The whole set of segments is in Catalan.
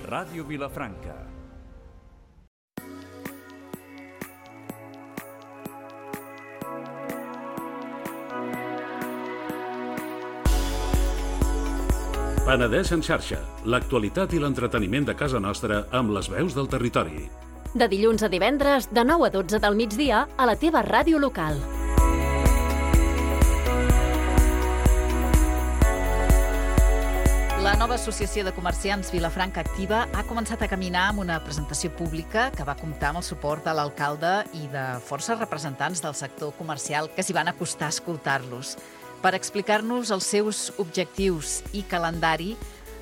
Ràdio Vilafranca. Penedès en xarxa, l'actualitat i l'entreteniment de casa nostra amb les veus del territori. De dilluns a divendres, de 9 a 12 del migdia, a la teva ràdio local. La nova Associació de Comerciants Vilafranca Activa ha començat a caminar amb una presentació pública que va comptar amb el suport de l'alcalde i de forces representants del sector comercial que s'hi van acostar a escoltar-los. Per explicar-nos els seus objectius i calendari,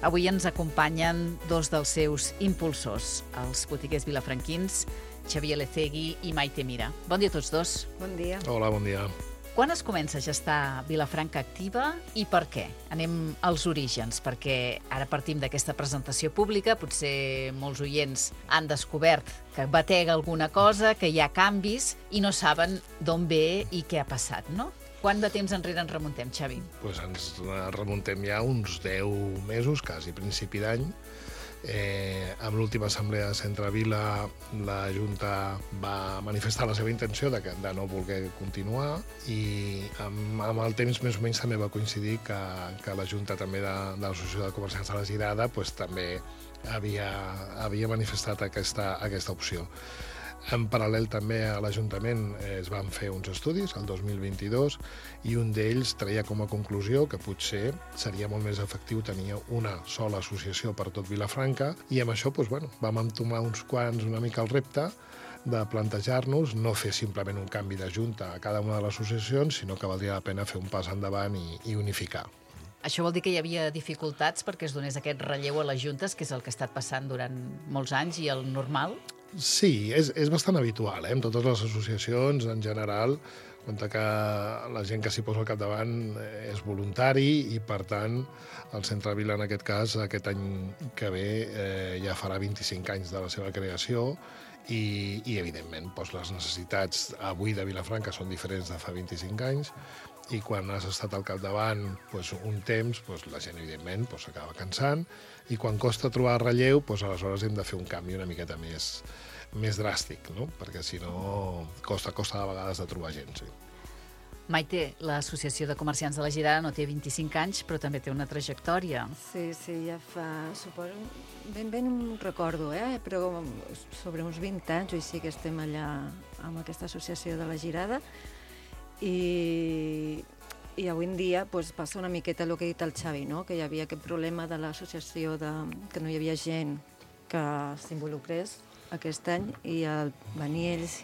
avui ens acompanyen dos dels seus impulsors, els botiguers vilafranquins, Xavier Lecegui i Maite Mira. Bon dia a tots dos. Bon dia. Hola, bon dia. Quan es comença a gestar Vilafranca Activa i per què? Anem als orígens, perquè ara partim d'aquesta presentació pública, potser molts oients han descobert que batega alguna cosa, que hi ha canvis i no saben d'on ve i què ha passat, no? Quant de temps enrere ens remuntem, Xavi? Pues ens remuntem ja uns 10 mesos, quasi principi d'any. Amb l'última assemblea de Centrevila, la Junta va manifestar la seva intenció de no voler continuar i amb el temps més o menys també va coincidir que la Junta també de l'Associació de Comerciants de la Girada pues, també havia manifestat aquesta opció. En paral·lel també a l'Ajuntament es van fer uns estudis el 2022 i un d'ells treia com a conclusió que potser seria molt més efectiu tenir una sola associació per tot Vilafranca i amb això vam entomar uns quants una mica el repte de plantejar-nos no fer simplement un canvi de junta a cada una de les associacions, sinó que valdria la pena fer un pas endavant i unificar. Això vol dir que hi havia dificultats perquè es donés aquest relleu a les juntes, que és el que ha estat passant durant molts anys i el normal? Sí, és bastant habitual, en totes les associacions, en general, compte que la gent que s'hi posa al capdavant és voluntari i, per tant, el Centrevila, en aquest cas, aquest any que ve ja farà 25 anys de la seva creació i evidentment, les necessitats avui de Vilafranca són diferents de fa 25 anys i quan has estat al capdavant un temps, la gent, evidentment, s'acaba cansant i quan costa trobar relleu, aleshores hem de fer un canvi una miqueta més dràstic, no? Perquè si no costa de vegades de trobar gent. Sí. Maite, l'Associació de Comerciants de la Girada no té 25 anys, però també té una trajectòria. Sí, ja fa, suposo, ben no recordo, però sobre uns 20 anys, o així que estem allà amb aquesta associació de la Girada, i avui en dia passa una miqueta el que ha dit el Xavi, no? Que hi havia aquest problema de l'associació, que no hi havia gent que s'involucrés aquest any i al venir ells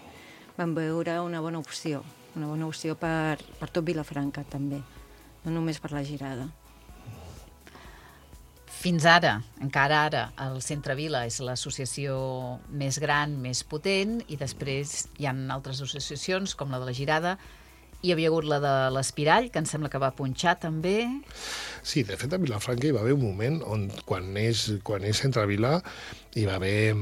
van veure una bona opció per tot Vilafranca també, no només per la Girada. Fins ara, encara ara, el Centrevila és l'associació més gran, més potent, i després hi ha altres associacions, com la de la Girada. Hi havia hagut la de l'Espirall, que em sembla que va punxar també. Sí, de fet, a Vilafranca hi va haver un moment on, quan neix Centrevila, hi va haver,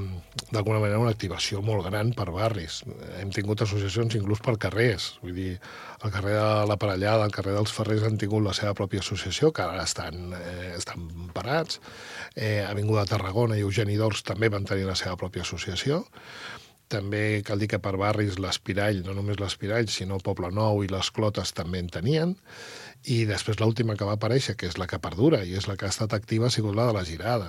d'alguna manera, una activació molt gran per barris. Hem tingut associacions inclús per carrers. Vull dir, al carrer de la Parellada, al carrer dels Ferrers han tingut la seva pròpia associació, que ara estan parats. Avinguda de Tarragona i Eugeni d'Ors també van tenir la seva pròpia associació. També cal dir que per barris l'Espirall, no només l'Espirall, sinó Poble Nou i les Clotes també en tenien. I després l'última que va aparèixer, que és la que perdura i és la que ha estat activa, ha sigut la de la Girada.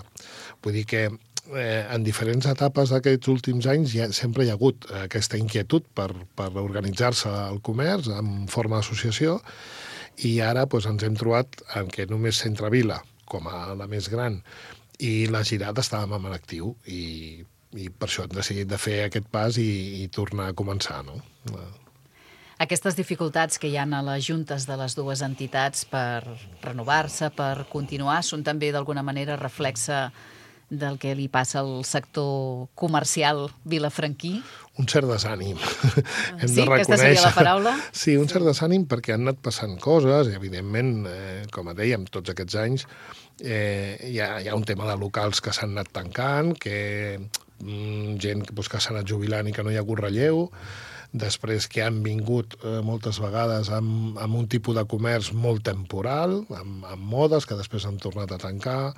Vull dir que en diferents etapes d'aquests últims anys sempre hi ha hagut aquesta inquietud per organitzar-se el comerç en forma d'associació i ara ens hem trobat en què només Centrevila, com a la més gran, i la Girada estàvem en actiu i per això hem decidit de fer aquest pas i tornar a començar, no? Aquestes dificultats que hi ha a les juntes de les dues entitats per renovar-se, per continuar, són també d'alguna manera reflexe del que li passa al sector comercial vilafranquí? Un cert desànim. Sí? Aquesta seria la paraula? Sí, un cert desànim perquè han anat passant coses i, evidentment, com dèiem, tots aquests anys hi ha un tema de locals que s'han anat tancant, gent que s'ha anat jubilant i que no hi ha hagut relleu. després que han vingut moltes vegades amb un tipus de comerç molt temporal, amb modes que després han tornat a tancar.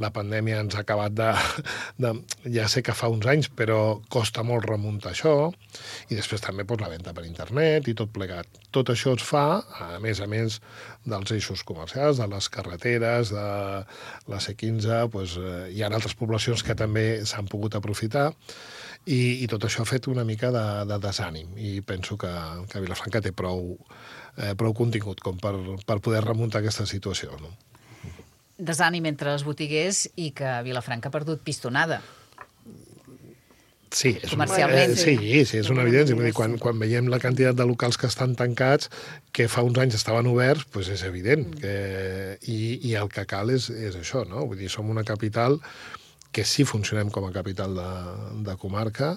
La pandèmia ens ha acabat ja sé que fa uns anys, però costa molt remuntar això. I després també la venda per internet i tot plegat. Tot això es fa, a més dels eixos comercials, de les carreteres, de la C15, hi ha altres poblacions que també s'han pogut aprofitar i tot això ha fet una mica de desànim i penso que Vilafranca té prou contingut com per poder remuntar aquesta situació. No? Desànim entre els botiguers i que Vilafranca ha perdut pistonada. Sí, comercialment. Sí, és una evidència. Vull dir, quan veiem la quantitat de locals que estan tancats, que fa uns anys estaven oberts, doncs és evident. I el que cal és això, no? Vull dir, som una capital que sí funcionem com a capital de comarca,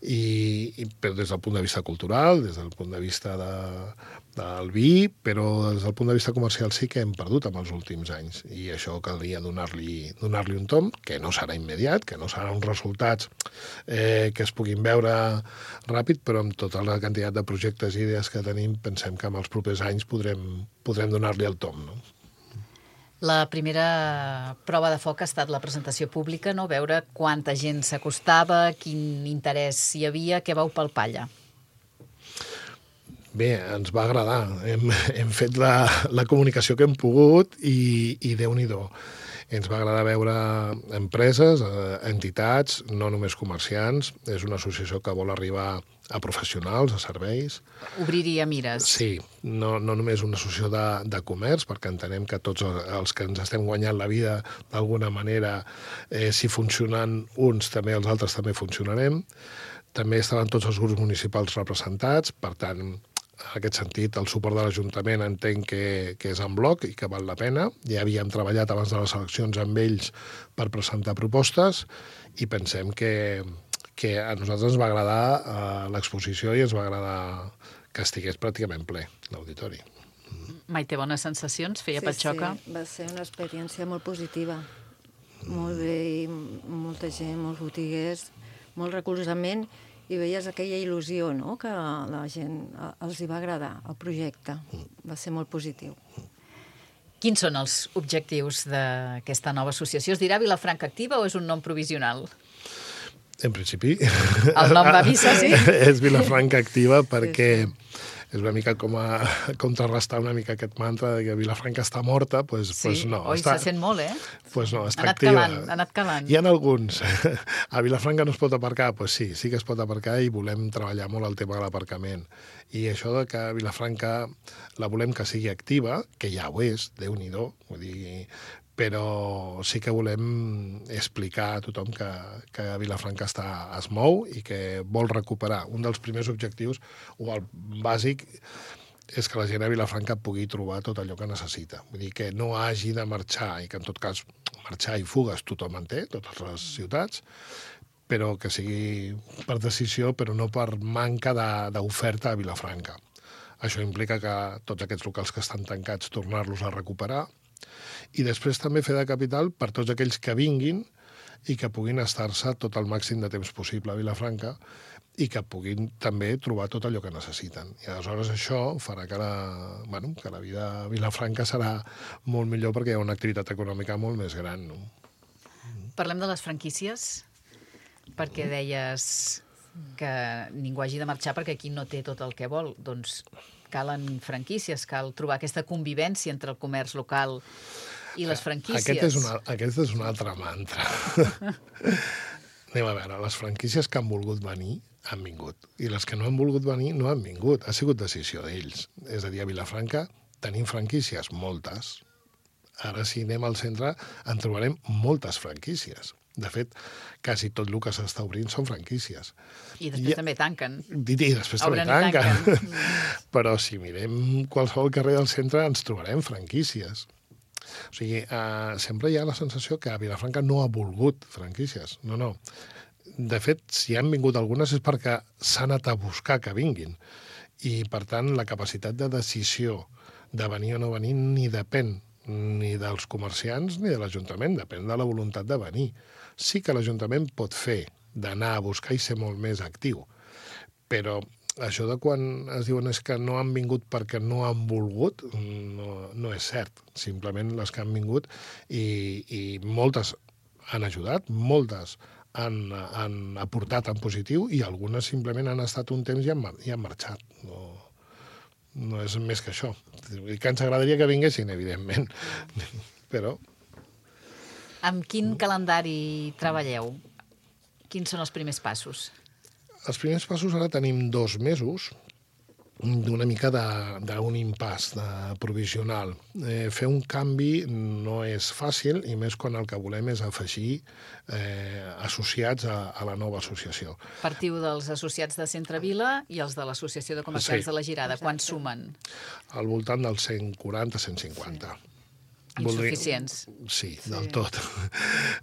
però des del punt de vista cultural, des del punt de vista del vi, però des del punt de vista comercial sí que hem perdut en els últims anys. I això caldria donar-li un tomb, que no serà immediat, que no seran uns resultats que es puguin veure ràpid, però amb tota la quantitat de projectes i idees que tenim, pensem que en els propers anys podrem donar-li el tomb, no? La primera prova de foc ha estat la presentació pública, no? Veure quanta gent s'acostava, quin interès hi havia, què vau palpar allà? Bé, ens va agradar. Hem fet la comunicació que hem pogut i Déu-n'hi-do. Ens va agradar veure empreses, entitats, no només comerciants. És una associació que vol arribar a professionals, a serveis. Obrir-hi a mires. Sí, no només una associació de comerç, perquè entenem que tots els que ens estem guanyant la vida d'alguna manera, si funcionen uns, també els altres també funcionarem. També estaven tots els grups municipals representats, per tant, en aquest sentit, el suport de l'Ajuntament entenc que és en bloc i que val la pena. Ja havíem treballat abans de les eleccions amb ells per presentar propostes i pensem que a nosaltres ens va agradar l'exposició i ens va agradar que estigués pràcticament ple l'auditori. Maite, bones sensacions? Feia patxoca? Sí, va ser una experiència molt positiva. Molt bé, i molta gent, molts botiguers, molt recolzament, i veies aquella il·lusió, no?, que a la gent els hi va agradar, el projecte. Va ser molt positiu. Quins són els objectius d'aquesta nova associació? Es dirà Vilafranca Activa o és un nom provisional? En principi... El nom va missa, sí? És Vilafranca Activa perquè és una mica com a contrarrestar una mica aquest mantra de que Vilafranca està morta, doncs no. Oi, se sent molt, Doncs no, està activa. Ha anat calant. Hi ha alguns. A Vilafranca no es pot aparcar? Doncs sí que es pot aparcar i volem treballar molt el tema de l'aparcament. I això de que Vilafranca la volem que sigui activa, que ja ho és, Déu-n'hi-do, vull dir, però sí que volem explicar a tothom que Vilafranca es mou i que vol recuperar. Un dels primers objectius, o el bàsic, és que la gent a Vilafranca pugui trobar tot allò que necessita. Vull dir, que no hagi de marxar, i que en tot cas marxar i fugues tothom en té, totes les ciutats, però que sigui per decisió, però no per manca d'oferta a Vilafranca. Això implica que tots aquests locals que estan tancats tornar-los a recuperar, i després també fer de capital per tots aquells que vinguin i que puguin estar-se tot el màxim de temps possible a Vilafranca i que puguin també trobar tot allò que necessiten. I aleshores això farà que la vida a Vilafranca serà molt millor perquè hi ha una activitat econòmica molt més gran. No? Parlem de les franquícies, perquè deies que ningú hagi de marxar perquè aquí no té tot el que vol. Doncs calen franquícies, cal trobar aquesta convivència entre el comerç local i les franquícies. Aquest és un altre mantra. Anem a veure, les franquícies que han volgut venir han vingut, i les que no han volgut venir no han vingut. Ha sigut decisió d'ells. És a dir, a Vilafranca tenim franquícies, moltes. Ara, si anem al centre, en trobarem moltes franquícies. De fet, quasi tot el que s'està obrint són franquícies. I després també tanquen. I després també tanquen. Però si mirem qualsevol carrer del centre ens trobarem franquícies. O sigui, sempre hi ha la sensació que a Vilafranca no ha volgut franquícies. No. De fet, si han vingut algunes és perquè s'ha anat a buscar que vinguin. I, per tant, la capacitat de decisió de venir o no venir ni depèn ni dels comerciants ni de l'Ajuntament, depèn de la voluntat de venir. Sí que l'Ajuntament pot fer d'anar a buscar i ser molt més actiu, però això de quan es diuen és que no han vingut perquè no han volgut, no és cert. Simplement les que han vingut i moltes han ajudat, moltes han aportat en positiu i algunes simplement han estat un temps i han marxat. No és més que això. I que ens agradaria que vinguessin, evidentment, però... Amb quin calendari treballeu? Quins són els primers passos? Els primers passos ara tenim 2 mesos d'una mica d'un impàs provisional. Fer un canvi no és fàcil, i més quan el que volem és afegir associats a la nova associació. Partiu dels associats de Centre Vila i els de l'Associació de Comerciants de la Girada. Quan sumen? Al voltant dels 140-150. Insuficients. Sí, del tot.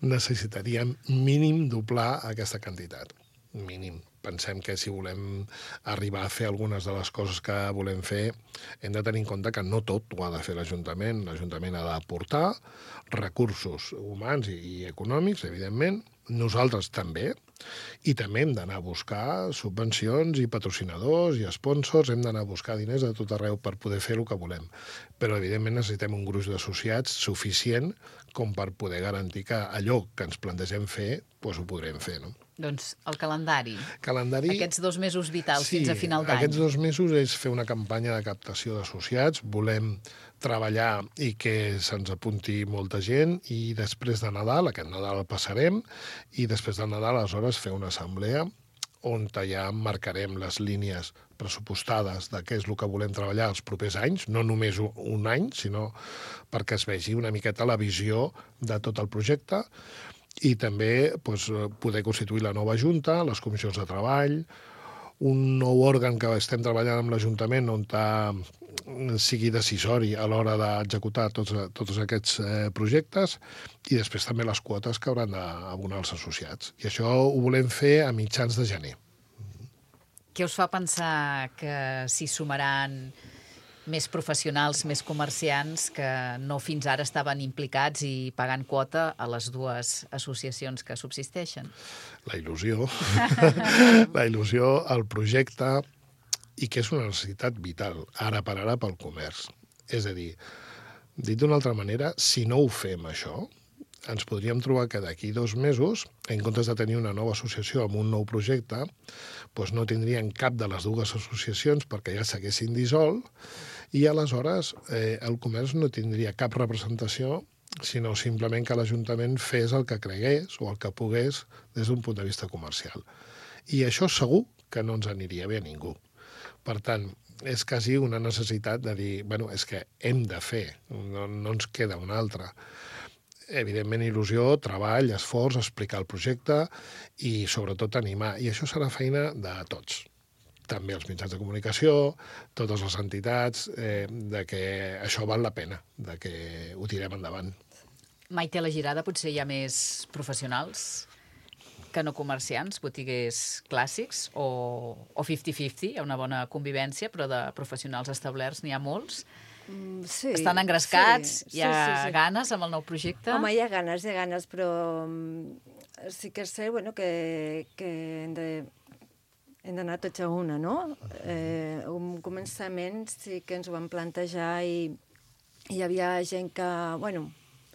Necessitaríem mínim doblar aquesta quantitat. Mínim. Pensem que si volem arribar a fer algunes de les coses que volem fer, hem de tenir en compte que no tot ho ha de fer l'Ajuntament. L'Ajuntament ha d'aportar recursos humans i econòmics, evidentment, nosaltres també, i també hem d'anar a buscar subvencions i patrocinadors i sponsors, hem d'anar a buscar diners de tot arreu per poder fer el que volem. Però, evidentment, necessitem un gruix d'associats suficient com per poder garantir que allò que ens plantegem fer, doncs ho podrem fer, no? Doncs el calendari. Aquests 2 mesos vitals fins a final d'any. Aquests 2 mesos és fer una campanya de captació d'associats. Volem treballar i que se'ns apunti molta gent i després de Nadal, aquest Nadal el passarem, i després de Nadal, aleshores, fer una assemblea on ja marcarem les línies pressupostades de què és el que volem treballar els propers anys, no només un any, sinó perquè es vegi una miqueta la visió de tot el projecte, i també poder constituir la nova Junta, les comissions de treball, un nou òrgan que estem treballant amb l'Ajuntament on sigui decisori a l'hora d'executar tots aquests projectes, i després també les quotes que hauran d'abonar els associats. I això ho volem fer a mitjans de gener. Què us fa pensar que s'hi sumaran més professionals, més comerciants que no fins ara estaven implicats i pagant quota a les 2 associacions que subsisteixen? La il·lusió, el projecte, i que és una necessitat vital, ara per ara, pel comerç. És a dir, dit d'una altra manera, si no ho fem això, ens podríem trobar que d'aquí 2 mesos, en comptes de tenir una nova associació amb un nou projecte, doncs no tindrien cap de les 2 associacions perquè ja s'haguessin dissolt, i aleshores el comerç no tindria cap representació, sinó simplement que l'Ajuntament fes el que cregués o el que pogués des d'un punt de vista comercial. I això segur que no ens aniria bé a ningú. Per tant, és quasi una necessitat de dir, bueno, és que hem de fer, no ens queda una altra. Evidentment, il·lusió, treball, esforç, explicar el projecte i, sobretot, animar. I això serà feina de tots. També els mitjans de comunicació, totes les entitats, de que això val la pena, de que ho tirem endavant. Maite, a la Girada potser hi ha més professionals que no comerciants, botiguers clàssics, o 50-50, hi ha una bona convivència, però de professionals establerts n'hi ha molts. Sí, estan engrescats, hi ha ganes amb el nou projecte? Home, hi ha ganes, però sí que és cert que hem d'anar tots a una, no? Un començament sí que ens ho vam plantejar i hi havia gent que,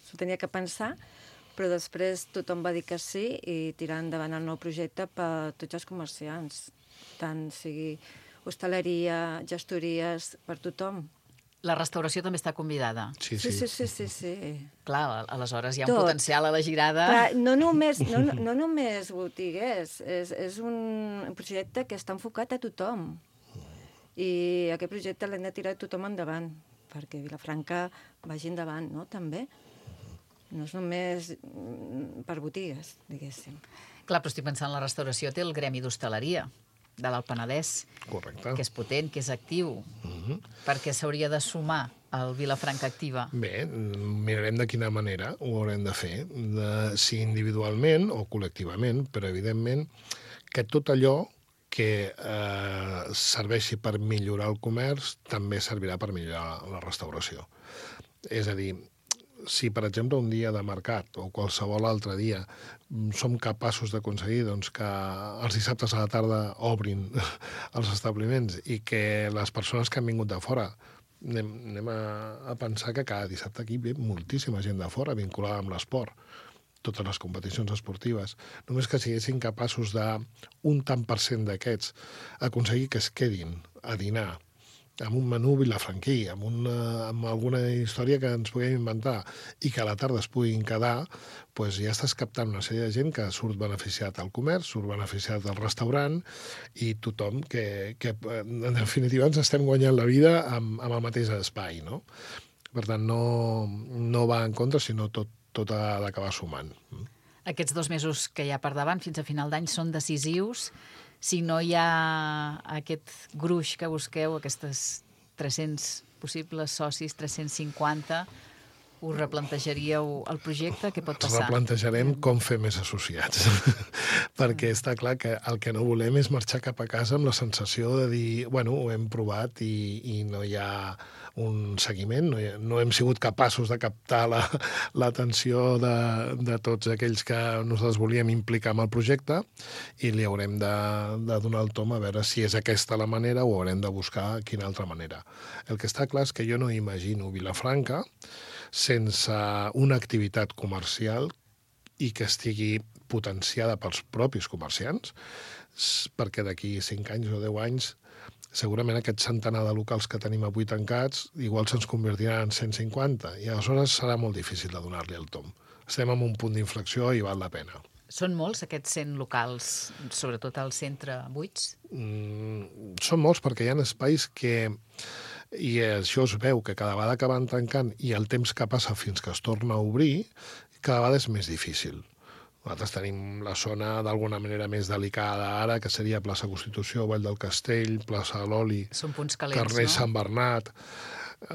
s'ho tenia que pensar, però després tothom va dir que sí i tirar endavant el nou projecte per tots els comerciants, tant sigui hostaleria, gestories, per tothom. La restauració també està convidada. Sí. Clar, aleshores hi ha un potencial a la Girada. Clar, no només botiguers, és un projecte que està enfocat a tothom. I aquest projecte l'hem de tirar tothom endavant, perquè Vilafranca vagi endavant, no?, també. No és només per botigues, diguéssim. Clar, però estic pensant en la restauració, té el gremi d'hostaleria de l'Alt Penedès, correcte, que és potent, que és actiu, perquè s'hauria de sumar al Vilafranca Activa. Bé, mirarem de quina manera ho haurem de fer, si individualment o col·lectivament, però evidentment que tot allò que serveixi per millorar el comerç també servirà per millorar la restauració. És a dir, si, per exemple, un dia de mercat o qualsevol altre dia som capaços d'aconseguir doncs, que els dissabtes a la tarda obrin els establiments i que les persones que han vingut de fora anem a pensar que cada dissabte aquí ve moltíssima gent de fora vinculada amb l'esport, totes les competicions esportives. Només que siguessin capaços d'un tant per cent d'aquests aconseguir que es quedin a dinar amb un menú vilafranquí, amb alguna història que ens puguem inventar i que a la tarda es puguin quedar, doncs ja estàs captant una sèrie de gent que surt beneficiat al comerç, surt beneficiat al restaurant i tothom que en definitiva ens estem guanyant la vida amb el mateix espai, no? Per tant, no va en contra, sinó tot ha d'acabar sumant. Aquests 2 mesos que hi ha per davant, fins a final d'any, són decisius. Si no hi ha aquest gruix que busqueu, aquestes 300 possibles socis, 350, us replantejaríeu el projecte? Què pot passar? Replantejarem com fer més associats. Perquè està clar que el que no volem és marxar cap a casa amb la sensació de dir, bueno, ho hem provat i no hi ha un seguiment, no hem sigut capaços de captar l'atenció de tots aquells que nosaltres volíem implicar en el projecte i li haurem de donar el tom a veure si és aquesta la manera o haurem de buscar quina altra manera. El que està clar és que jo no imagino Vilafranca sense una activitat comercial i que estigui potenciada pels propis comerciants, perquè d'aquí 5 anys o 10 anys segurament aquest centenar de locals que tenim avui tancats igual se'ns convertiran en 150 i aleshores serà molt difícil de donar-li el tom. Estem en un punt d'inflexió i val la pena. Són molts aquests 100 locals, sobretot al centre, buits? Són molts perquè hi ha espais que, i això es veu que cada vegada que van tancant i el temps que passa fins que es torna a obrir, cada vegada és més difícil. Nosaltres tenim la zona d'alguna manera més delicada ara, que seria plaça Constitució, Vall del Castell, plaça de l'Oli, són punts calents, carrer no? Sant Bernat,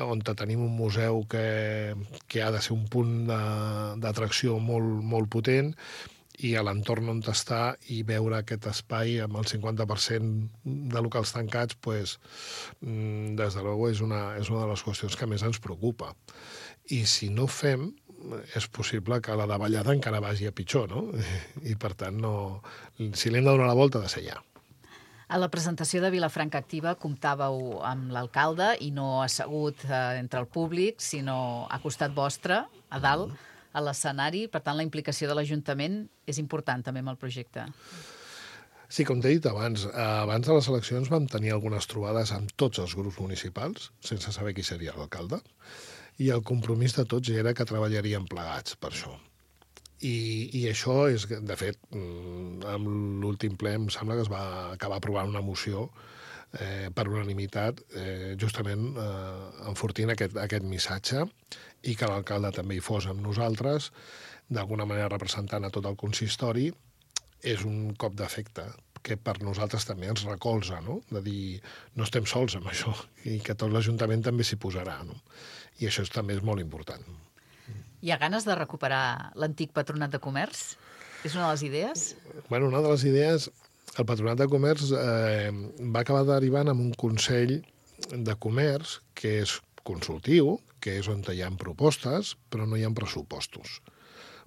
on tenim un museu que ha de ser un punt d'atracció molt, molt potent, i a l'entorn on està i veure aquest espai amb el 50% de locals tancats, pues, des de luego és una de les qüestions que més ens preocupa. I si no fem, és possible que la davallada encara vagi a pitjor, no? I per tant, si l'hem de donar la volta, ha de ser ja. A la presentació de Vilafranca Activa comptàveu amb l'alcalde i no assegut entre el públic, sinó a costat vostre, a dalt, a l'escenari. Per tant, la implicació de l'Ajuntament és important també amb el projecte. Sí, com t'he dit abans de les eleccions vam tenir algunes trobades amb tots els grups municipals, sense saber qui seria l'alcalde, i el compromís de tots era que treballaríem plegats per això. I això és, de fet, amb l'últim ple em sembla que es va acabar aprovant una moció per unanimitat, justament enfortint aquest missatge i que l'alcalde també hi fos amb nosaltres, d'alguna manera representant a tot el consistori, és un cop d'efecte que per nosaltres també ens recolza, no? De dir, no estem sols amb això, i que tot l'Ajuntament també s'hi posarà, no? I això també és molt important. Hi ha ganes de recuperar l'antic Patronat de Comerç? És una de les idees? Bueno, una de les idees, el Patronat de Comerç va acabar derivant en un Consell de Comerç que és consultiu, que és on hi ha propostes, però no hi ha pressupostos.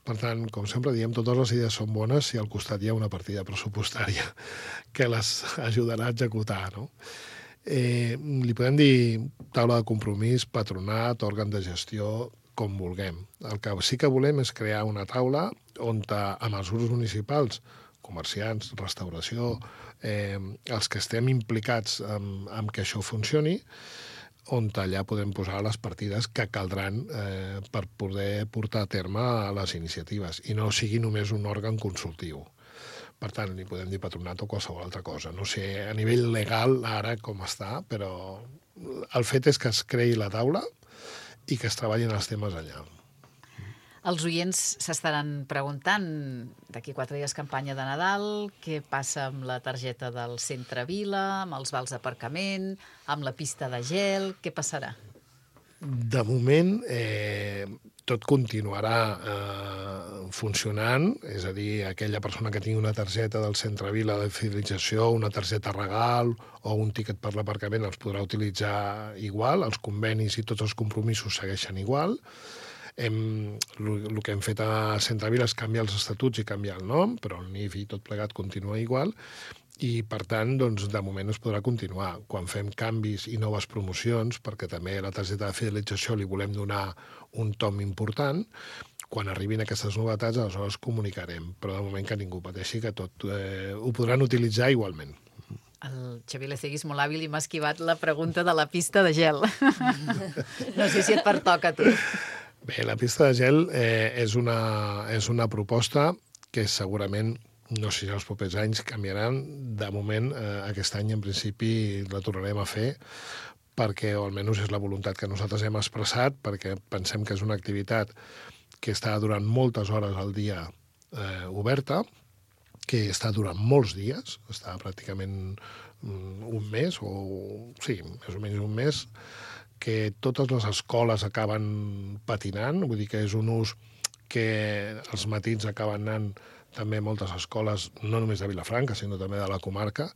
Per tant, com sempre diem, totes les idees són bones si al costat hi ha una partida pressupostària que les ajudarà a executar, no? Li podem dir taula de compromís, patronat, òrgan de gestió, com vulguem. El que sí que volem és crear una taula on amb els grups municipals, comerciants, restauració, els que estem implicats en que això funcioni, on allà podem posar les partides que caldran per poder portar a terme les iniciatives i no sigui només un òrgan consultiu. Per tant, li podem dir patronat o qualsevol altra cosa. No sé a nivell legal ara com està, però el fet és que es creï la taula i que es treballin els temes allà. Els oients s'estaran preguntant, d'aquí 4 dies campanya de Nadal, què passa amb la targeta del Centre Vila, amb els vals d'aparcament, amb la pista de gel, què passarà? De moment, tot continuarà funcionant, és a dir, aquella persona que tingui una targeta del Centre Vila de fidelització, una targeta regal o un tiquet per l'aparcament els podrà utilitzar igual, els convenis i tots els compromisos segueixen igual. El que hem fet a Centrevila és canviar els estatuts i canviar el nom, però el NIF i tot plegat continua igual, i, per tant, doncs, de moment es podrà continuar. Quan fem canvis i noves promocions, perquè també a la targeta de fidelització li volem donar un tom important, quan arribin aquestes novetats, aleshores comunicarem. Però de moment que ningú pateixi, que tot ho podran utilitzar igualment. El Xavier Lecegui és molt hàbil i m'ha esquivat la pregunta de la pista de gel. No sé si et pertoca a tu. Bé, la pista de gel és una proposta que segurament, no sé si els propers anys canviaran. De moment, aquest any, en principi, la tornarem a fer, perquè, o almenys és la voluntat que nosaltres hem expressat, perquè pensem que és una activitat que està durant moltes hores al dia oberta, que està durant molts dies, està pràcticament un mes, sí, més o menys un mes, que totes les escoles acaben patinant, vull dir que és un ús que els matins acaben anant també moltes escoles, no només de Vilafranca, sinó també de la comarca,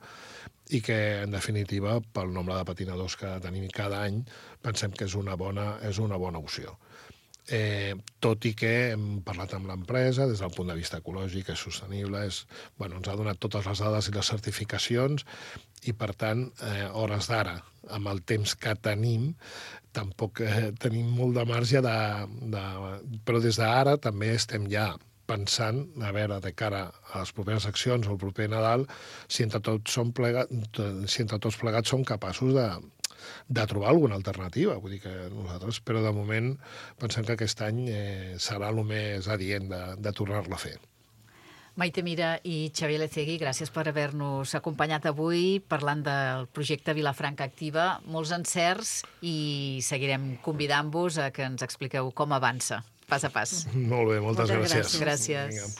i que, en definitiva, pel nombre de patinadors que tenim cada any, pensem que és una bona opció. Tot i que hem parlat amb l'empresa des del punt de vista ecològic, és sostenible, ens ha donat totes les dades i les certificacions, i, per tant, hores d'ara, amb el temps que tenim, tampoc tenim molt de marge però des d'ara també estem ja pensant, a veure, de cara a les properes accions o el proper Nadal, si entre tots plegats som capaços de trobar alguna alternativa. Vull dir que nosaltres, però de moment, pensem que aquest any serà el més adient de tornar-la a fer. Maite Mira i Xavier Lecegui, gràcies per haver-nos acompanyat avui parlant del projecte Vilafranca Activa. Molts encerts i seguirem convidant-vos a que ens expliqueu com avança, pas a pas. Molt bé, moltes gràcies. Gràcies. Vinga.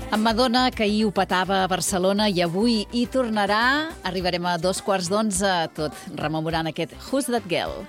Amb Madonna, que ahir ho petava a Barcelona i avui hi tornarà, arribarem a 11:15, tot rememorant aquest Who's That Girl?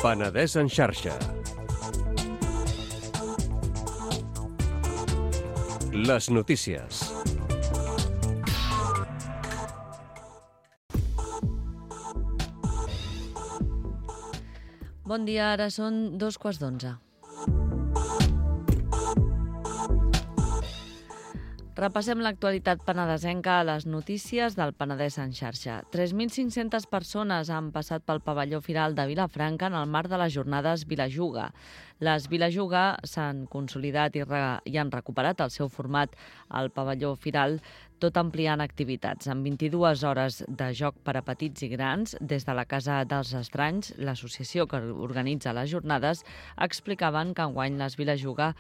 Penedès en xarxa. Les notícies. Bon dia, ara són 2:15. Repassem l'actualitat penedesenca a les notícies del Penedès en xarxa. 3.500 persones han passat pel pavelló firal de Vilafranca en el marc de les jornades Vilajuga. Les Vilajuga s'han consolidat i han recuperat el seu format al pavelló firal, tot ampliant activitats. Amb 22 hores de joc per a petits i grans, des de la Casa dels Estranys, l'associació que organitza les jornades, explicaven que enguany les Vilajuga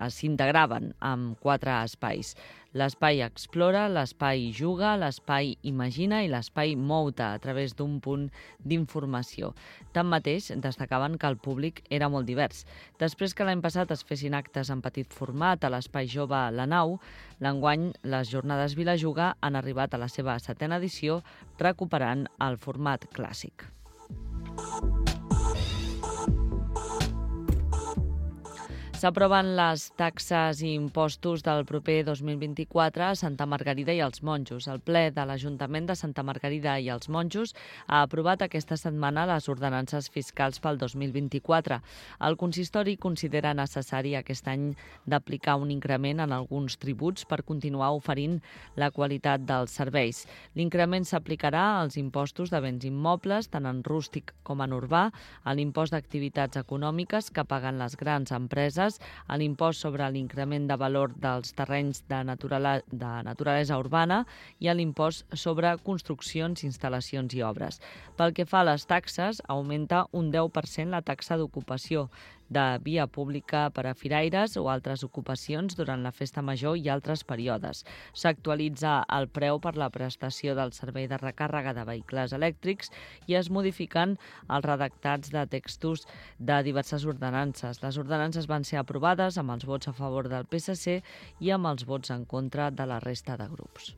s'integraven amb 4 espais. L'espai Explora, l'espai Juga, l'espai Imagina i l'espai Mou-te, a través d'un punt d'informació. Tanmateix, destacaven que el públic era molt divers. Després que l'any passat es fessin actes en petit format a l'espai jove La Nau, l'enguany les jornades Vilajuga han arribat a la seva 7ª edició, recuperant el format clàssic. S'aproven les taxes i impostos del proper 2024 a Santa Margarida i els Monjos. El ple de l'Ajuntament de Santa Margarida i els Monjos ha aprovat aquesta setmana les ordenances fiscals pel 2024. El consistori considera necessari aquest any d'aplicar un increment en alguns tributs per continuar oferint la qualitat dels serveis. L'increment s'aplicarà als impostos de béns immobles, tant en rústic com en urbà, a l'impost d'activitats econòmiques que paguen les grans empreses, a l'impost sobre l'increment de valor dels terrenys de naturalesa urbana i a l'impost sobre construccions, instal·lacions i obres. Pel que fa a les taxes, augmenta un 10% la taxa d'ocupació de via pública per a firaires o altres ocupacions durant la festa major i altres períodes. S'actualitza el preu per la prestació del servei de recàrrega de vehicles elèctrics i es modifiquen els redactats de textos de diverses ordenances. Les ordenances van ser aprovades amb els vots a favor del PSC i amb els vots en contra de la resta de grups.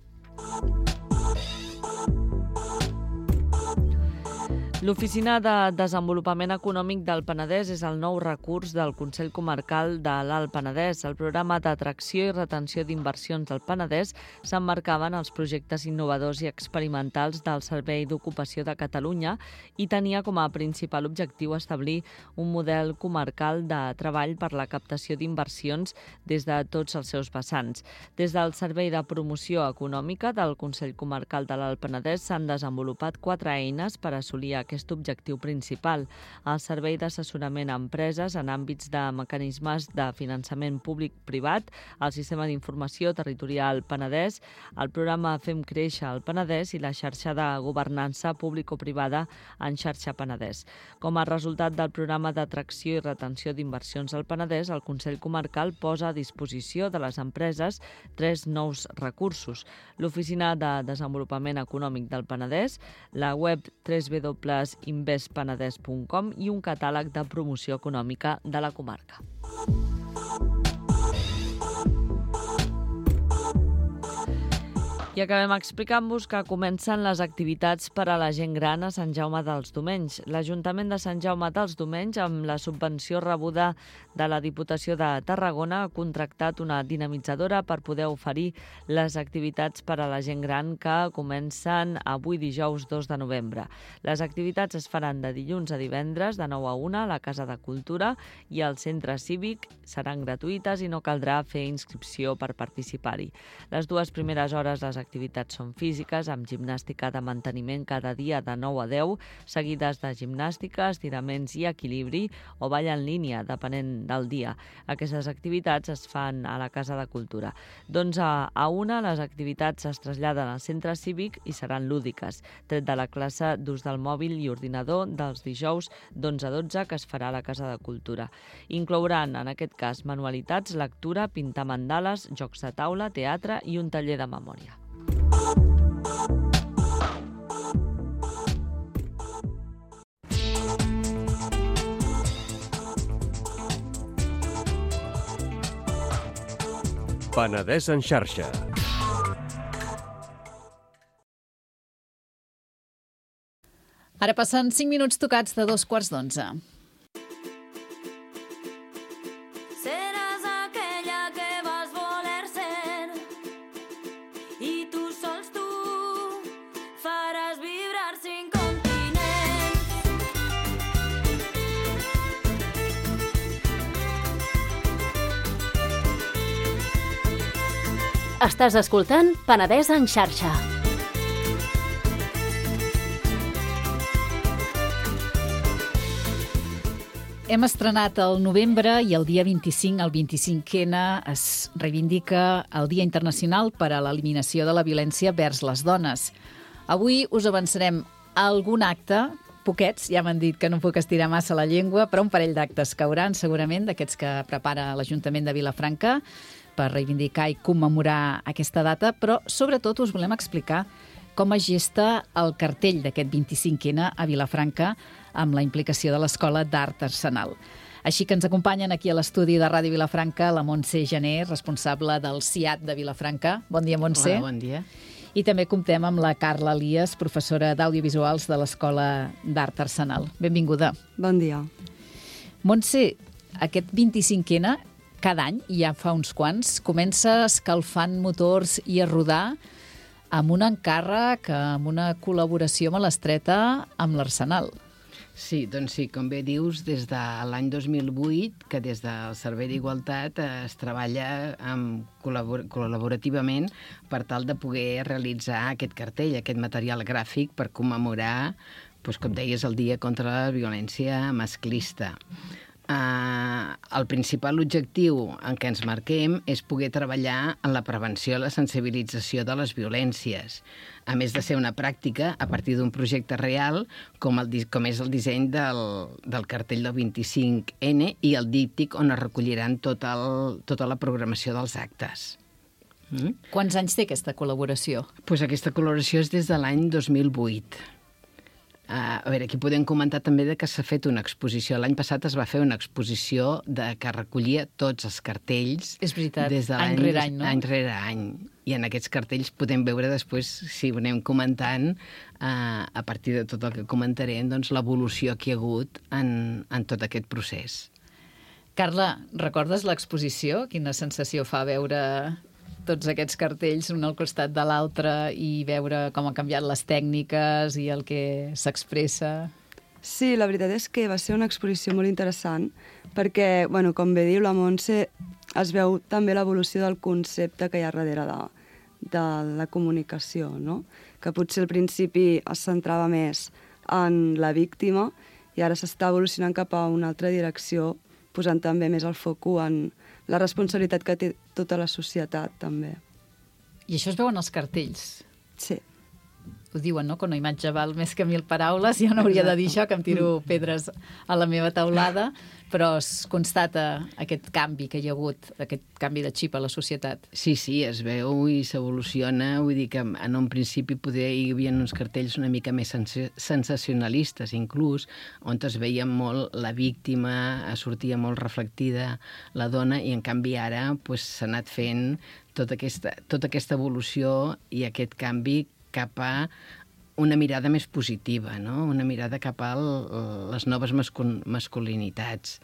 L'Oficina de Desenvolupament Econòmic del Penedès és el nou recurs del Consell Comarcal de l'Alt Penedès. El programa d'atracció i retenció d'inversions del Penedès s'emmarcava en els projectes innovadors i experimentals del Servei d'Ocupació de Catalunya i tenia com a principal objectiu establir un model comarcal de treball per la captació d'inversions des de tots els seus vessants. Des del Servei de Promoció Econòmica del Consell Comarcal de l'Alt Penedès s'han desenvolupat 4 eines per assolir aquest objectiu principal: el servei d'assessorament a empreses en àmbits de mecanismes de finançament públic-privat, el sistema d'informació territorial Penedès, el programa Fem Créixer el Penedès i la xarxa de governança público-privada en xarxa Penedès. Com a resultat del programa d'atracció i retenció d'inversions al Penedès, el Consell Comarcal posa a disposició de les empreses 3 nous recursos: l'Oficina de Desenvolupament Econòmic del Penedès, la web www.investpenedès.com i un catàleg de promoció econòmica de la comarca. I acabem explicant-vos que comencen les activitats per a la gent gran a Sant Jaume dels Domenys. L'Ajuntament de Sant Jaume dels Domenys, amb la subvenció rebuda de la Diputació de Tarragona, ha contractat una dinamitzadora per poder oferir les activitats per a la gent gran que comencen avui dijous 2 de novembre. Les activitats es faran de dilluns a divendres de 9 a 1 a la Casa de Cultura i al Centre Cívic, seran gratuïtes i no caldrà fer inscripció per participar-hi. Les 2 primeres hores les activitats són físiques, amb gimnàstica de manteniment cada dia de 9 a 10, seguides de gimnàstica, estiraments i equilibri o ball en línia, depenent del dia. Aquestes activitats es fan a la Casa de Cultura. D'11 a 1 les activitats es traslladen al Centre Cívic i seran lúdiques, tret de la classe d'ús del mòbil i ordinador dels dijous d'11 a 12 que es farà a la Casa de Cultura. Inclouran, en aquest cas, manualitats, lectura, pintar mandales, jocs de taula, teatre i un taller de memòria. Penedès en xarxa. Ara passen 5 minuts tocats de 11:15. Seràs aquella que vas voler ser i tu sols tu faràs vibrar 5 continents Estàs escoltant Penedès en xarxa. Hem estrenat el novembre i el dia 25, el 25N, es reivindica el Dia Internacional per a l'Eliminació de la Violència vers les Dones. Avui us avançarem a algun acte, poquets, ja m'han dit que no puc estirar massa la llengua, però un parell d'actes cauran segurament, d'aquests que prepara l'Ajuntament de Vilafranca per reivindicar i commemorar aquesta data, però sobretot us volem explicar com es gesta el cartell d'aquest 25N a Vilafranca amb la implicació de l'Escola d'Art Arsenal. Així que ens acompanyen aquí a l'estudi de Ràdio Vilafranca la Montse Janer, responsable del CIAT de Vilafranca. Bon dia, Montse. Hola, bon dia. I també comptem amb la Carla Elias, professora d'Audiovisuals de l'Escola d'Art Arsenal. Benvinguda. Bon dia. Montse, aquest 25N, cada any, ja fa uns quants, comença escalfant motors i a rodar amb un encàrrec, amb una col·laboració molt estreta amb l'Arsenal. Sí, doncs sí, com bé dius, des de l'any 2008, que des del Servei d'Igualtat es treballa col·laborativament per tal de poder realitzar aquest cartell, aquest material gràfic per commemorar, doncs, com deies, el Dia contra la Violència Masclista. El principal objectiu en què ens marquem és poder treballar en la prevenció i la sensibilització de les violències, a més de ser una pràctica a partir d'un projecte real com és el disseny del cartell del 25N i el díptic on es recolliran tota la programació dels actes. Quants anys té aquesta col·laboració? Doncs aquesta col·laboració és des de l'any 2008. A veure, aquí podem comentar també que s'ha fet una exposició. L'any passat es va fer una exposició que recollia tots els cartells. És veritat, des de any rere any, no? Any rere any. I en aquests cartells podem veure després, si ho anem comentant, a partir de tot el que comentarem, doncs, l'evolució que hi ha hagut en tot aquest procés. Carla, recordes l'exposició? Quina sensació fa veure tots aquests cartells un al costat de l'altre i veure com han canviat les tècniques i el que s'expressa? Sí, la veritat és que va ser una exposició molt interessant perquè, bueno, com bé diu la Montse, es veu també l'evolució del concepte que hi ha darrere de la comunicació, no? Que potser al principi es centrava més en la víctima i ara s'està evolucionant cap a una altra direcció, posant també més el focus en la responsabilitat que té tota la societat, també. I això es veu en els cartells? Sí. Ho diuen, no?, que una imatge val més que 1000 paraules. Jo no hauria de dir això, que em tiro pedres a la meva teulada, però es constata aquest canvi que hi ha hagut, aquest canvi de xip a la societat. Sí, es veu i s'evoluciona. Vull dir que en un principi poder hi havia uns cartells una mica més sensacionalistes, inclús, on es veia molt la víctima, sortia molt reflectida la dona, i en canvi ara s'ha anat fent tota aquesta evolució i aquest canvi cap a una mirada més positiva, no? Una mirada cap a les noves masculinitats.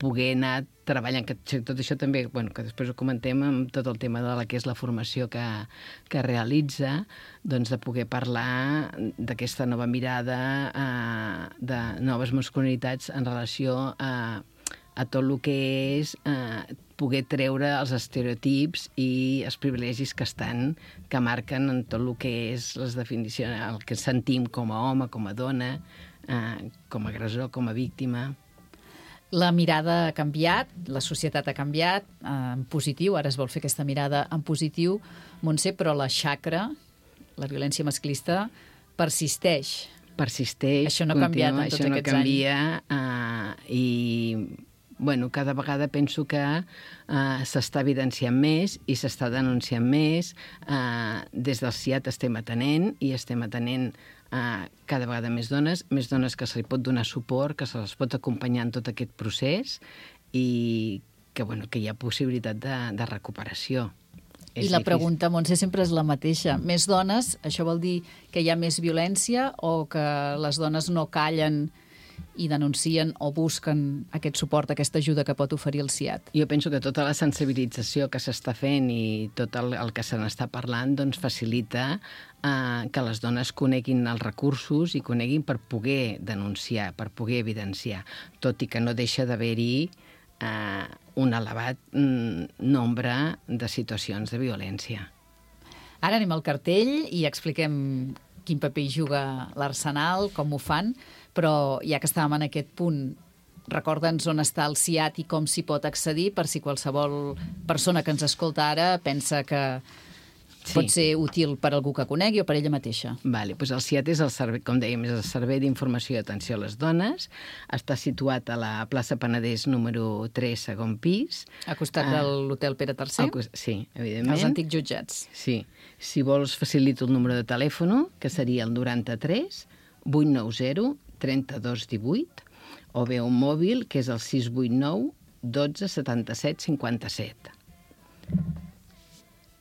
Poder anar treballant, que tot això també, que després ho comentem amb tot el tema de la que és la formació que realitza, doncs de poder parlar d'aquesta nova mirada de noves masculinitats en relació a tot el que és poder treure els estereotips i els privilegis que marquen en tot el que és les definicions, el que sentim com a home, com a dona, com a agressor, com a víctima. La mirada ha canviat, la societat ha canviat en positiu, ara es vol fer aquesta mirada en positiu, Montse, però la xacra, la violència masclista, persisteix. Això no ha canviat en tots aquests anys. Això no canvia i cada vegada penso que s'està evidenciant més i s'està denunciant més. Des del CIAT estem atenent cada vegada més dones que se li pot donar suport, que se les pot acompanyar en tot aquest procés i que hi ha possibilitat de recuperació. I la pregunta, Montse, sempre és la mateixa. Més dones, això vol dir que hi ha més violència o que les dones no callen i denuncien o busquen aquest suport, aquesta ajuda que pot oferir el CIAT? Jo penso que tota la sensibilització que s'està fent i tot el que se n'està parlant facilita que les dones coneguin els recursos i coneguin per poder denunciar, per poder evidenciar, tot i que no deixa d'haver-hi un elevat nombre de situacions de violència. Ara anem al cartell i expliquem quin paper hi juga l'Arsenal, com ho fan, però ja que estàvem en aquest punt, recorda'ns on està el CIAT i com s'hi pot accedir per si qualsevol persona que ens escolta ara pensa que pot ser útil per algú que conegui o per ella mateixa. Vale, doncs el CIAT és el servei, com dèiem, és el Servei d'Informació i Atenció a les Dones. Està situat a la plaça Penedès número 3, segon pis. A costat de l'Hotel Pere III? Sí, evidentment. Els antics jutjats. Sí. Si vols, facilito el número de telèfon, que seria el 93 890 32 18, o bé un mòbil, que és el 689 12 77 57.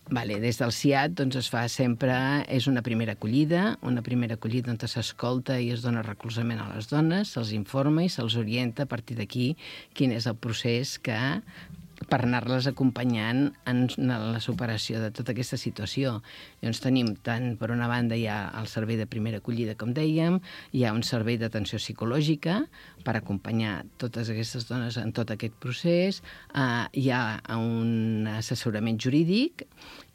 Vale, des del CIAT doncs, es fa sempre, és una primera acollida on s'escolta i es dona recolzament a les dones, se'ls informa i se'ls orienta a partir d'aquí quin és el procés per anar-les acompanyant en la superació de tota aquesta situació. Llavors tenim tant, per una banda, hi ha el servei de primera acollida, com dèiem, hi ha un servei d'atenció psicològica per acompanyar totes aquestes dones en tot aquest procés, hi ha un assessorament jurídic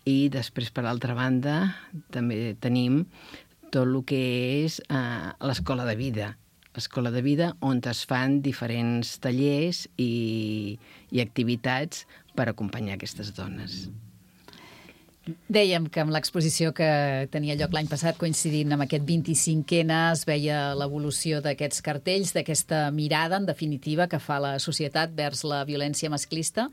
i després, per altra banda, també tenim tot el que és l'escola de vida. L'escola de vida on es fan diferents tallers i activitats per acompanyar aquestes dones. Dèiem que amb l'exposició que tenia lloc l'any passat, coincidint amb aquest 25N, es veia l'evolució d'aquests cartells, d'aquesta mirada, en definitiva, que fa la societat vers la violència masclista.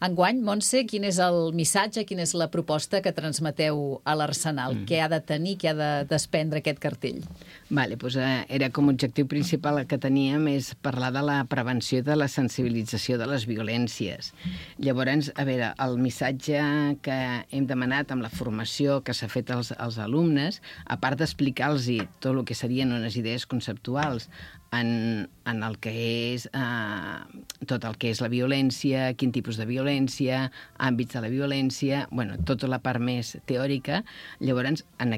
Enguany, Montse, quin és el missatge, quina és la proposta que transmeteu a l'Arsenal? Què ha de tenir, què ha de desprendre aquest cartell? Vale, doncs era com a objectiu principal el que teníem és parlar de la prevenció de la sensibilització de les violències. Llavors, a veure, el missatge que hem demanat amb la formació que s'ha fet als alumnes, a part d'explicar-los tot el que serien unes idees conceptuals en el que és tot el que és la violència, quin tipus de violència, àmbits de la violència, bueno, tota la part més teòrica. Llavors, en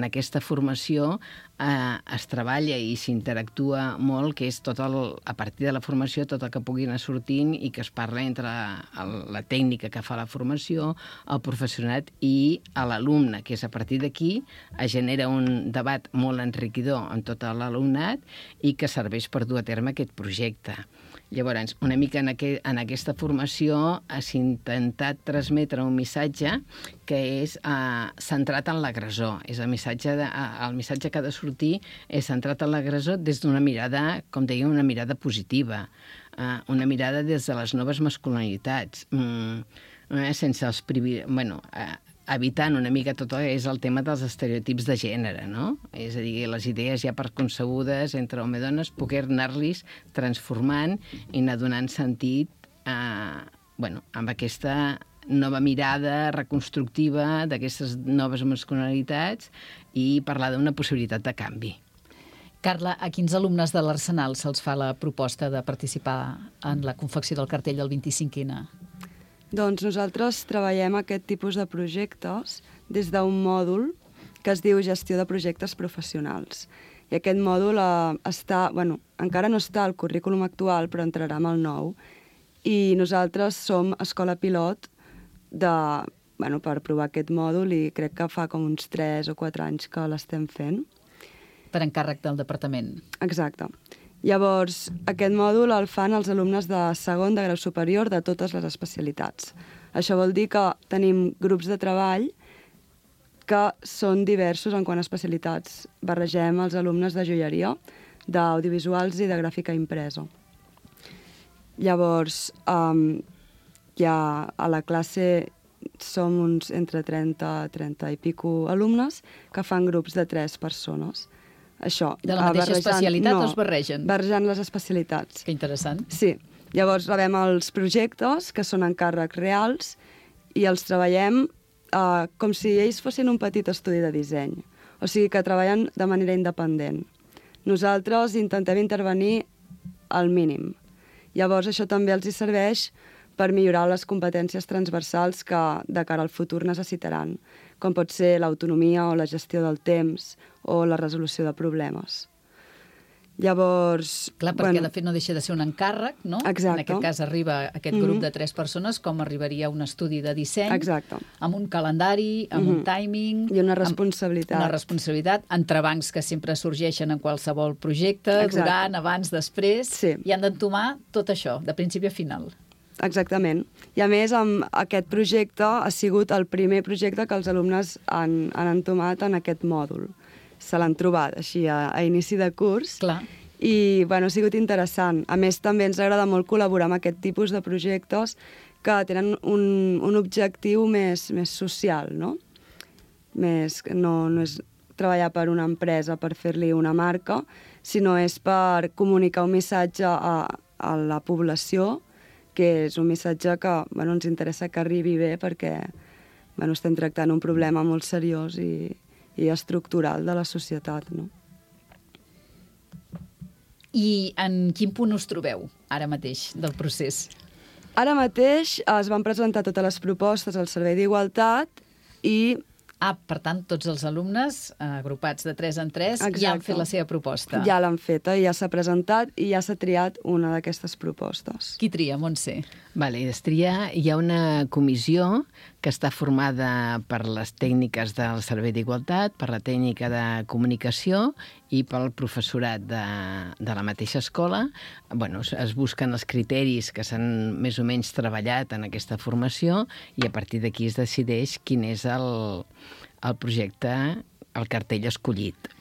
aquesta formació es treballa i s'interactua molt, que és a partir de la formació tot el que pugui anar sortint i que es parla entre la tècnica que fa la formació, el professorat i l'alumne, que és a partir d'aquí es genera un debat molt enriquidor amb tot l'alumnat i que serveix per dur a terme aquest projecte. Llavors, una mica en aquesta formació s'ha intentat transmetre un missatge que és centrat en l'agressor. El missatge que ha de sortir és centrat en l'agressor des d'una mirada, com dèiem, una mirada positiva, una mirada des de les noves masculinitats, sense els privilegis... evitant una mica tot és el tema dels estereotips de gènere, no? És a dir, les idees ja preconcebudes entre home i dones, poder anar-los transformant i anar donant sentit amb aquesta nova mirada reconstructiva d'aquestes noves masculinitats i parlar d'una possibilitat de canvi. Carla, a quins alumnes de l'Arsenal se'ls fa la proposta de participar en la confecció del cartell del 25N? Doncs nosaltres treballem aquest tipus de projectes des d'un mòdul que es diu Gestió de Projectes Professionals. I aquest mòdul encara no està al currículum actual, però entrarà amb el nou. I nosaltres som escola pilot per provar aquest mòdul i crec que fa com uns 3 o 4 anys que l'estem fent. Per encàrrec del departament. Exacte. Llavors, aquest mòdul el fan els alumnes de segon de grau superior de totes les especialitats. Això vol dir que tenim grups de treball que són diversos en quant a especialitats. Barregem els alumnes de joieria, d'audiovisuals i de gràfica impresa. Llavors, ja a la classe som uns entre 30 i pico alumnes que fan grups de 3 persones. Això, de la mateixa especialitat o es barregen? Barrejant les especialitats. Que interessant. Sí. Llavors rebem els projectes, que són encàrrecs reals, i els treballem com si ells fossin un petit estudi de disseny. O sigui que treballen de manera independent. Nosaltres intentem intervenir al mínim. Llavors això també els serveix per millorar les competències transversals que de cara al futur necessitaran, com pot ser l'autonomia o la gestió del temps o la resolució de problemes. Llavors... Clar, perquè de fet no deixa de ser un encàrrec, no? Exacte. En aquest cas arriba aquest grup de 3 persones, com arribaria un estudi de disseny, Exacte. amb un calendari, amb un timing... I una responsabilitat. Una responsabilitat, entrebancs que sempre sorgeixen en qualsevol projecte, durant, abans, després, i han d'entomar tot això, de principi a final. Exactament. I a més, amb aquest projecte ha sigut el primer projecte que els alumnes han entomat en aquest mòdul. Se l'han trobat així a inici de curs. Clar. I bueno, ha sigut interessant. A més, també ens agrada molt col·laborar amb aquest tipus de projectes que tenen un objectiu més social, no? No és treballar per una empresa per fer-li una marca, sinó és per comunicar un missatge a la població, que és un missatge que ens interessa que arribi bé perquè estem tractant un problema molt seriós i estructural de la societat, no? I en quin punt us trobeu ara mateix del procés? Ara mateix es van presentar totes les propostes al Servei d'Igualtat i... per tant, tots els alumnes, agrupats de 3 en 3, ja han fet la seva proposta. Ja l'han feta, ja s'ha presentat i ja s'ha triat una d'aquestes propostes. Qui tria, Montse? Vale, es tria, hi ha una comissió que està formada per les tècniques del Servei d'Igualtat, per la tècnica de comunicació i pel professorat de la mateixa escola. Es busquen els criteris que s'han més o menys treballat en aquesta formació i a partir d'aquí es decideix quin és el projecte, el cartell escollit.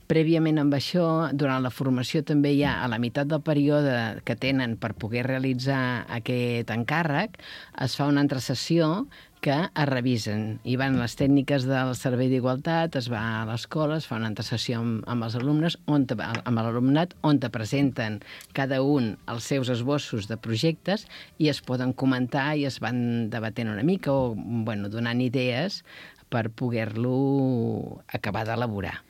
Prèviament amb això, durant la formació també hi ha, a la meitat del període que tenen per poder realitzar aquest encàrrec, es fa una altra sessió que es revisen. Hi van les tècniques del Servei d'Igualtat, es va a l'escola, es fa una altra sessió amb els alumnes, amb l'alumnat, on te presenten cada un els seus esbossos de projectes i es poden comentar i es van debatent una mica o donant idees per poder-lo acabar d'elaborar.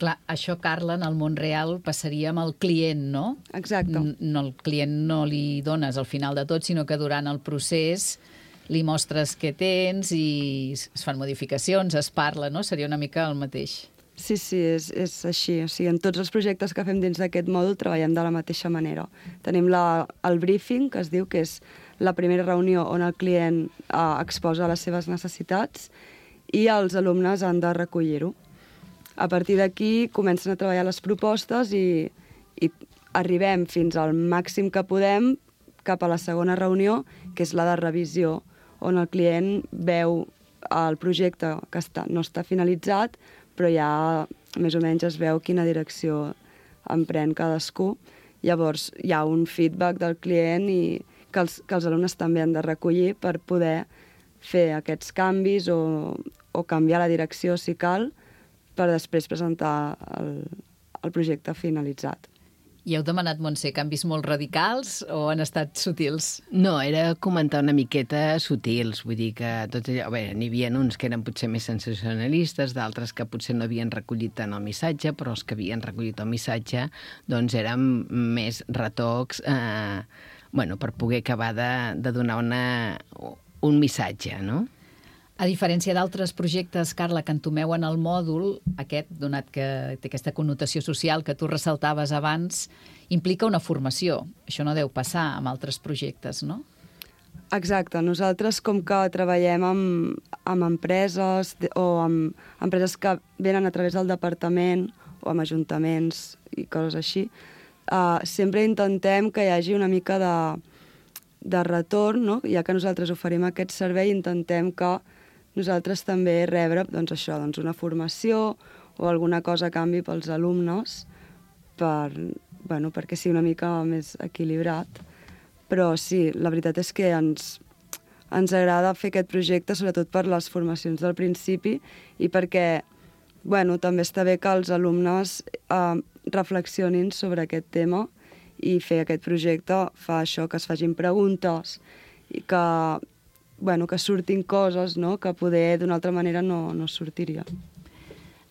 Clar, això, Carla, en el món real passaria amb el client, no? Exacte. El client no li dones al final de tot, sinó que durant el procés li mostres què tens i es fan modificacions, es parla, no? Seria una mica el mateix. Sí, és així. O sigui, en tots els projectes que fem dins d'aquest mòdul treballem de la mateixa manera. Tenim el briefing, que es diu que és la primera reunió on el client exposa les seves necessitats i els alumnes han de recollir-ho. A partir d'aquí comencen a treballar les propostes i arribem fins al màxim que podem cap a la segona reunió, que és la de revisió, on el client veu el projecte que no està finalitzat, però ja més o menys es veu quina direcció emprèn cadascú. Llavors hi ha un feedback del client i que els alumnes també han de recollir per poder fer aquests canvis o canviar la direcció si cal, per després presentar el projecte finalitzat. I heu demanat, Montse, canvis molt radicals o han estat sutils? No, era comentar una miqueta sutils, vull dir que tot allò... N'hi havia uns que eren potser més sensacionalistes, d'altres que potser no havien recollit tant el missatge, però els que havien recollit el missatge doncs eren més retocs per poder acabar de donar un missatge, no? A diferència d'altres projectes, Carla, que entomeu en el mòdul, aquest, donat que té aquesta connotació social que tu ressaltaves abans, implica una formació. Això no deu passar amb altres projectes, no? Exacte. Nosaltres, com que treballem amb empreses o amb empreses que venen a través del departament o amb ajuntaments i coses així, sempre intentem que hi hagi una mica de retorn, no? Ja que nosaltres oferim aquest servei, intentem que nosaltres també rebre una formació o alguna cosa a canvi pels alumnes perquè sigui una mica més equilibrat. Però sí, la veritat és que ens agrada fer aquest projecte, sobretot per les formacions del principi i perquè també està bé que els alumnes reflexionin sobre aquest tema i fer aquest projecte fa això, que es facin preguntes i que surtin coses que poder d'una altra manera no sortiria.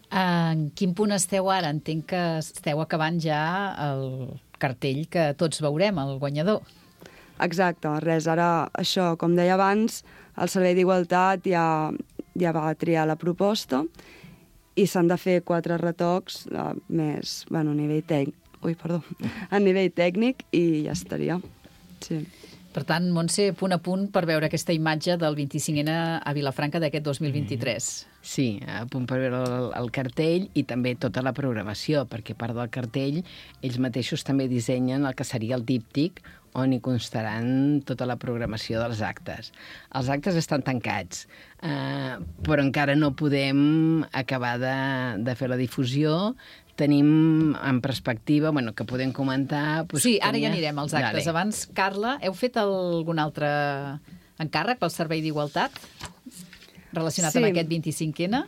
En quin punt esteu ara? Entenc que esteu acabant ja el cartell que tots veurem, el guanyador. Exacte, res, ara això, com deia abans, el Servei d'Igualtat ja va triar la proposta i s'han de fer 4 retocs més a nivell a nivell tècnic i ja estaria. Sí. Per tant, Montse, punt a punt per veure aquesta imatge del 25N a Vilafranca d'aquest 2023. Sí, a punt per veure el cartell i també tota la programació, perquè a part del cartell, ells mateixos també dissenyen el que seria el díptic, on hi constaran tota la programació dels actes. Els actes estan tancats, però encara no podem acabar de fer la difusió. Tenim en perspectiva, que podem comentar... Sí, ara ja anirem als actes. Abans, Carla, heu fet algun altre encàrrec pel Servei d'Igualtat relacionat amb aquest 25N?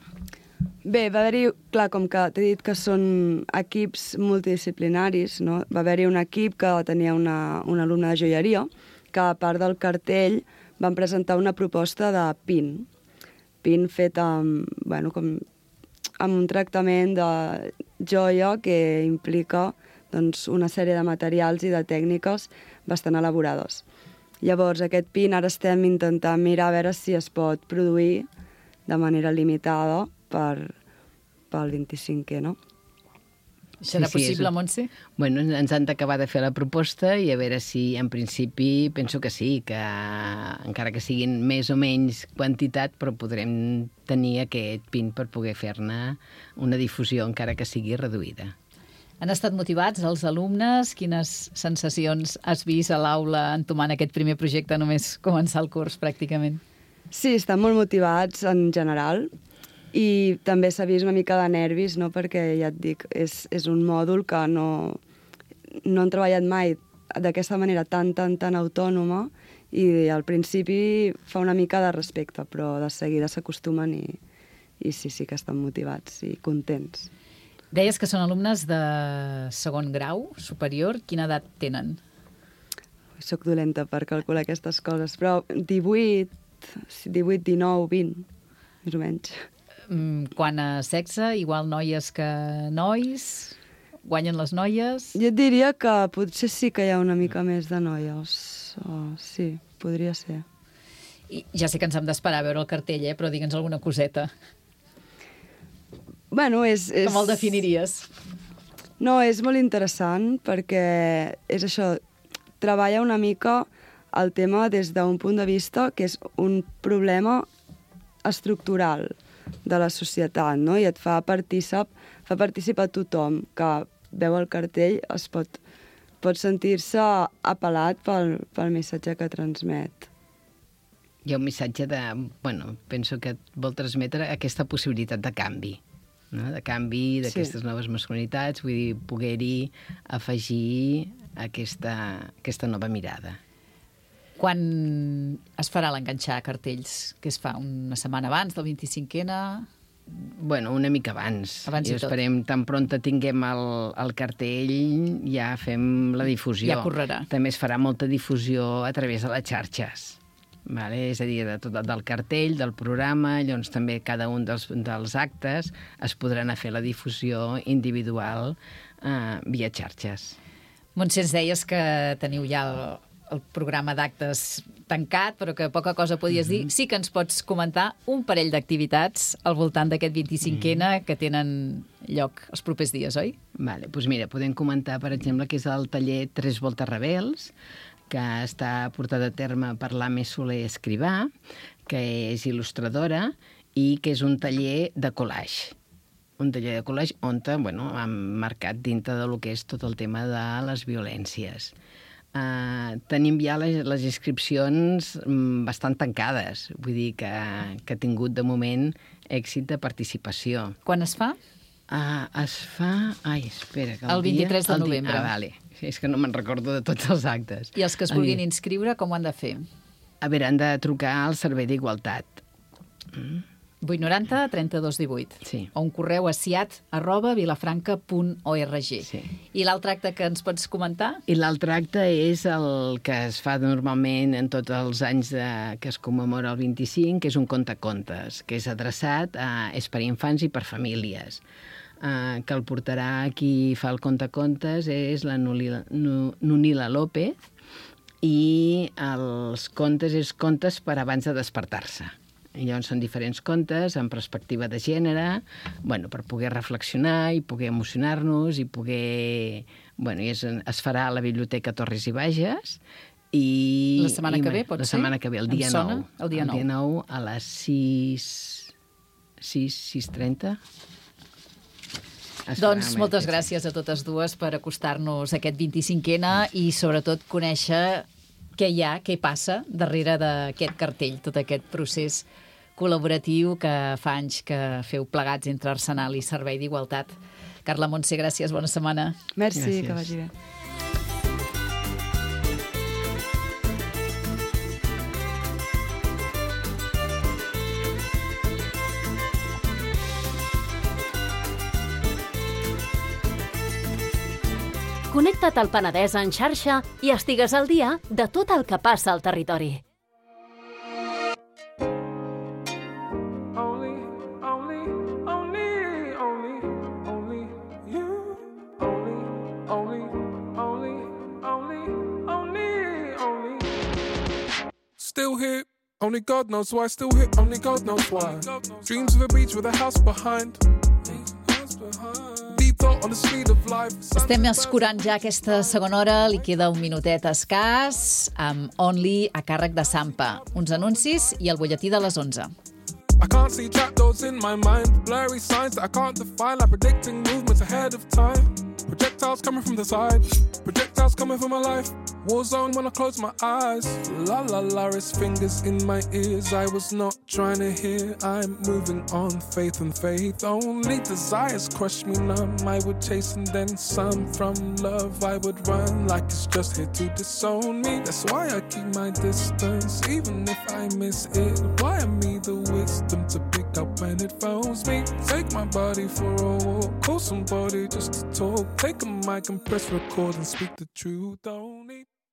Bé, va haver-hi, clar, com que t'he dit que són equips multidisciplinaris, no? Va haver-hi un equip que tenia una alumna de joieria que, a part del cartell, van presentar una proposta de pin fet amb un tractament de joia que implica una sèrie de materials i de tècniques bastant elaborades. Llavors, aquest pin ara estem intentant mirar a veure si es pot produir de manera limitada pel 25è, no? Serà possible, Montse? Bueno, ens han d'acabar de fer la proposta i a veure si, en principi, penso que sí, que encara que siguin més o menys quantitat, però podrem tenir aquest pin per poder fer-ne una difusió, encara que sigui reduïda. Han estat motivats els alumnes? Quines sensacions has vist a l'aula entomant aquest primer projecte només començar el curs, pràcticament? Sí, estan molt motivats en general. I també s'ha vist una mica de nervis, no? Perquè, ja et dic, és un mòdul que no han treballat mai d'aquesta manera tan autònoma i al principi fa una mica de respecte, però de seguida s'acostumen i sí que estan motivats i contents. Deies que són alumnes de segon grau superior. Quina edat tenen? Soc dolenta per calcular aquestes coses, però 18, 19, 20, més o menys. Quant a sexe, igual noies que nois? Guanyen les noies? Jo et diria que potser sí que hi ha una mica més de noies. Sí, podria ser. I ja sé que ens hem d'esperar a veure el cartell, però digue'ns alguna coseta. Bueno, com el definiries? No, és molt interessant perquè és això, treballa una mica el tema des d'un punt de vista que és un problema estructural de la societat, no? I et fa participar tothom que veu el cartell, pot sentir-se apel·lat pel missatge que transmet. Hi ha un missatge penso que vol transmetre aquesta possibilitat de canvi, no? De canvi d'aquestes noves masculinitats, vull dir, poder-hi afegir aquesta nova mirada. Quan es farà l'enganxar cartells? Que es fa una setmana abans del 25N? Bueno, una mica abans. I esperem, tan prompte tinguem el cartell, ja fem la difusió. Ja correrà. També es farà molta difusió a través de les xarxes. Vale? És a dir, del cartell, del programa, llavors també cada un dels actes es podrà anar a fer la difusió individual via xarxes. Montse, ens deies que teniu ja el programa d'actes tancat, però que poca cosa podies dir. Sí que ens pots comentar un parell d'activitats al voltant d'aquest 25N que tenen lloc els propers dies, oi? Vale, doncs mira, podem comentar, per exemple, que és el taller 3 voltes rebels, que està portat a terme per l'Ame Soler Escrivà, que és il·lustradora i que és un taller de collage. Un taller de collage on hem marcat dintre del que és tot el tema de les violències. Tenim ja les inscripcions bastant tancades, vull dir que ha tingut de moment èxit de participació. Quan es fa? Es fa... Ai, espera, que el 23 de novembre. Vale. És que no me'n recordo de tots els actes. I els que es vulguin inscriure, com ho han de fer? A veure, han de trucar al Servei d'Igualtat. 890 32 18. Sí. O un correu a siat@vilafranca.org. Sí. I l'altre acte que ens pots comentar? I l'altre acte és el que es fa normalment en tots els anys que es commemora el 25, que és un contacontes, que és adreçat és per infants i per famílies. Que el portarà qui fa el contacontes és la Nunila López i els contes és contes per abans de despertar-se. I llavors són diferents contes amb perspectiva de gènere, bueno, per poder reflexionar i poder emocionar-nos i poder... Bueno, es farà a la Biblioteca Torres i Bages i... La setmana que ve, pot ser? La setmana que ve, el dia 9. El dia 9 a les 6:30. Doncs moltes gràcies a totes dues per acostar-nos a aquest 25N i sobretot conèixer què hi ha, què passa darrere d'aquest cartell, tot aquest procés col·laboratiu que fa anys que feu plegats entre Arsenal i Servei d'Igualtat. Carla Montse, gràcies, bona setmana. Merci, gràcies. que vagi bé. Connecta't al Penedès en xarxa i estigues al dia de tot el que passa al territori. Still here, only God knows why. Still here, only God knows why. Dreams of a beach with a house behind. Deep thought on the speed of life. Estem escurant ja aquesta segona hora, li queda un minutet escàs, amb Only a càrrec de Sampa. Uns anuncis i el butlletí de les 11. I can't see trapdoors in my mind, blurry signs that I can't define, like predicting movements ahead of time. Projectiles coming from the side, projectiles coming from my life. War zone when I close my eyes. La la la, it's fingers in my ears. I was not trying to hear. I'm moving on, faith and faith. Only desires crush me numb. I would chase and then some. From love I would run like it's just here to disown me. That's why I keep my distance, even if I miss it. Why me the wisdom to pick up when it phones me? Take my body for a walk, call somebody just to talk. Take a mic and press record and speak the truth. Don't